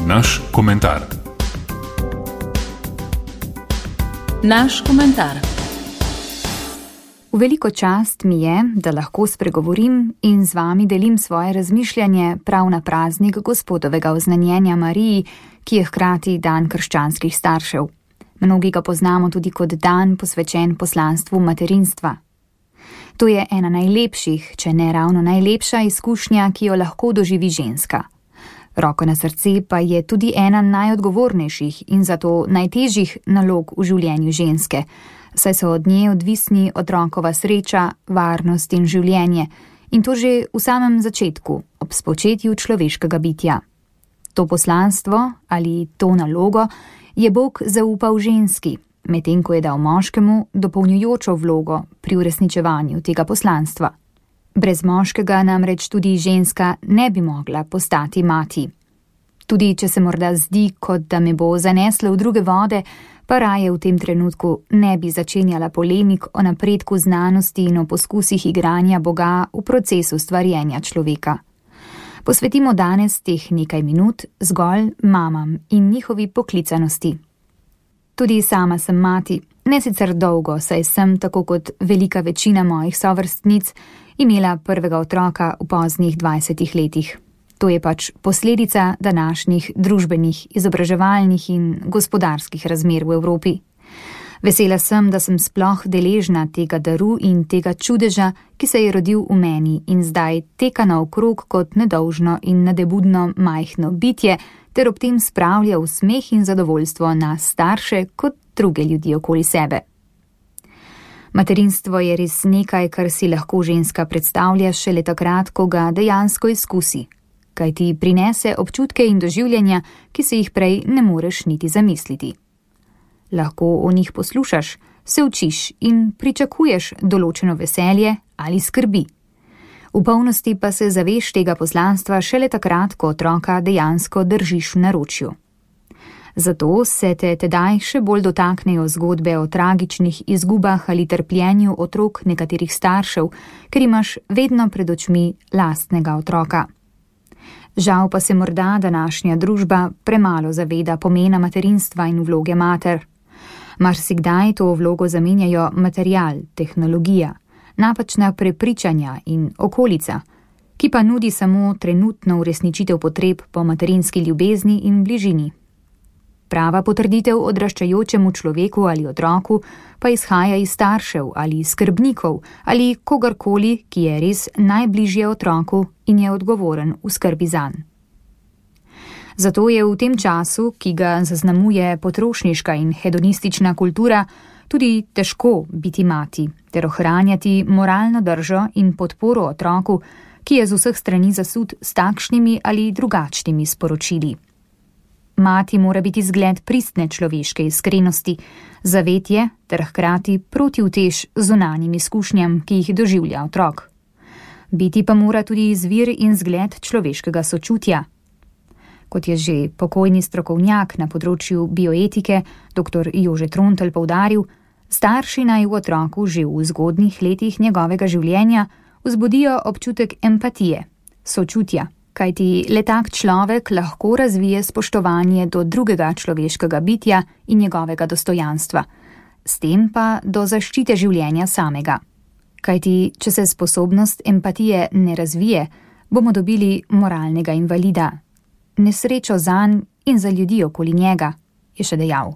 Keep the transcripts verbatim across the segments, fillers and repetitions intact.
Naš komentar. Naš komentar. V veliko čast mi je, da lahko spregovorim in z vami delim svoje razmišljanje prav na praznik Gospodovega oznanjenja Mariji, ki je hkrati dan krščanskih staršev. Mnogi ga poznamo tudi kot dan posvečen poslanstvu materinstva. To je ena najlepših, če ne ravno najlepša izkušnja, ki jo lahko doživi ženska. Roko na srce pa je tudi ena najodgovornejših in zato najtežjih nalog v življenju ženske, saj so od nje odvisni otrokova sreča, varnost in življenje, in to že v samem začetku, ob spočetju človeškega bitja. To poslanstvo ali to nalogo je Bog zaupal ženski, medtem ko je dal moškemu dopolnjujočo vlogo pri uresničevanju tega poslanstva. Brez moškega namreč tudi ženska ne bi mogla postati mati. Tudi če se morda zdi, kot da me bo zaneslo v druge vode, pa raje v tem trenutku ne bi začenjala polemik o napredku znanosti in o poskusih igranja Boga v procesu stvarjenja človeka. Posvetimo danes teh nekaj minut zgolj mamam in njihovi poklicanosti. Tudi sama sem mati, ne sicer dolgo, saj sem, tako kot velika večina mojih sovrstnic, imela prvega otroka v poznih dvajsetih letih. To je pač posledica današnjih družbenih, izobraževalnih in gospodarskih razmer v Evropi. Vesela sem, da sem sploh deležna tega daru in tega čudeža, ki se je rodil v meni in zdaj teka naokrog kot nedolžno in nadebudno majhno bitje, ter ob tem spravlja v smeh in zadovoljstvo nas starše kot druge ljudi okoli sebe. Materinstvo je res nekaj, kar si lahko ženska predstavlja šele takrat, ko ga dejansko izkusi, kaj ti prinese občutke in doživljanja, ki se jih prej ne moreš niti zamisliti. Lahko o njih poslušaš, se učiš in pričakuješ določeno veselje ali skrbi. V polnosti pa se zaveš tega poslanstva šele takrat, ko otroka dejansko držiš v naročju. Zato se te tedaj še bolj dotaknejo zgodbe o tragičnih izgubah ali trpljenju otrok nekaterih staršev, ker imaš vedno pred očmi lastnega otroka. Žal pa se morda današnja družba premalo zaveda pomena materinstva in vloge mater. Marsikdaj to vlogo zamenjajo material, tehnologija, napačna prepričanja in okolica, ki pa nudi samo trenutno uresničitev potreb po materinski ljubezni in bližini. Prava potrditev odraščajočemu človeku ali otroku pa izhaja iz staršev ali skrbnikov ali kogarkoli, ki je res najbližje otroku in je odgovoren v skrbi zanj. Zato je v tem času, ki ga zaznamuje potrošniška in hedonistična kultura, tudi težko biti mati ter ohranjati moralno držo in podporo otroku, ki je z vseh strani zasut s takšnimi ali drugačnimi sporočili. Mati mora biti zgled pristne človeške iskrenosti, zavetje ter hkrati protiutež zunanjim izkušnjam, ki jih doživlja otrok. Biti pa mora tudi izvir in zgled človeškega sočutja. Kot je že pokojni strokovnjak na področju bioetike, dr. Jože Trontelj poudaril, starši naj v otroku že v zgodnjih letih njegovega življenja vzbudijo občutek empatije, sočutja, kajti le tak človek lahko razvije spoštovanje do drugega človeškega bitja in njegovega dostojanstva, s tem pa do zaščite življenja samega. Kajti, če se sposobnost empatije ne razvije, bomo dobili moralnega invalida, nesrečo zanj in za ljudi okoli njega, je še dejal.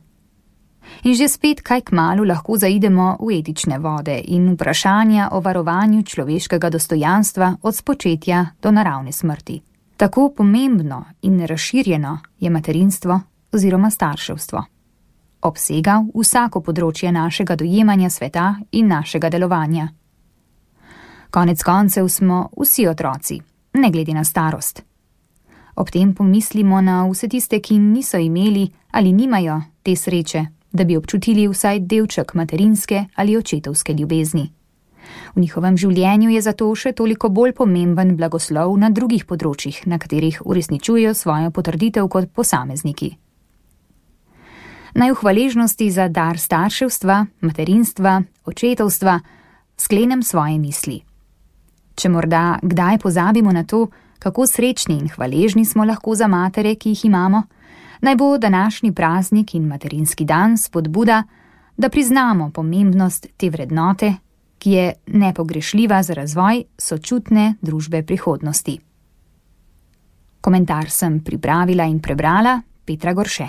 In že spet kaj kmalu lahko zaidemo v etične vode in vprašanja o varovanju človeškega dostojanstva od spočetja do naravne smrti. Tako pomembno in razširjeno je materinstvo oziroma starševstvo. Obsega vsako področje našega dojemanja sveta in našega delovanja. Konec koncev smo vsi otroci, ne glede na starost. Ob tem pomislimo na vse tiste, ki niso imeli ali nimajo te sreče, da bi občutili vsaj delček materinske ali očetovske ljubezni. V njihovem življenju je zato še toliko bolj pomemben blagoslov na drugih področjih, na katerih uresničujejo svojo potrditev kot posamezniki. Naj v hvaležnosti za dar starševstva, materinstva, očetovstva sklenem svoje misli. Če morda kdaj pozabimo na to, Kako srečni in hvaležni smo lahko za matere, ki jih imamo? Naj bo današnji praznik in materinski dan spodbuda, da priznamo pomembnost te vrednote, ki je nepogrešljiva za razvoj sočutne družbe prihodnosti. Komentar sem pripravila in prebrala Petra Gorše.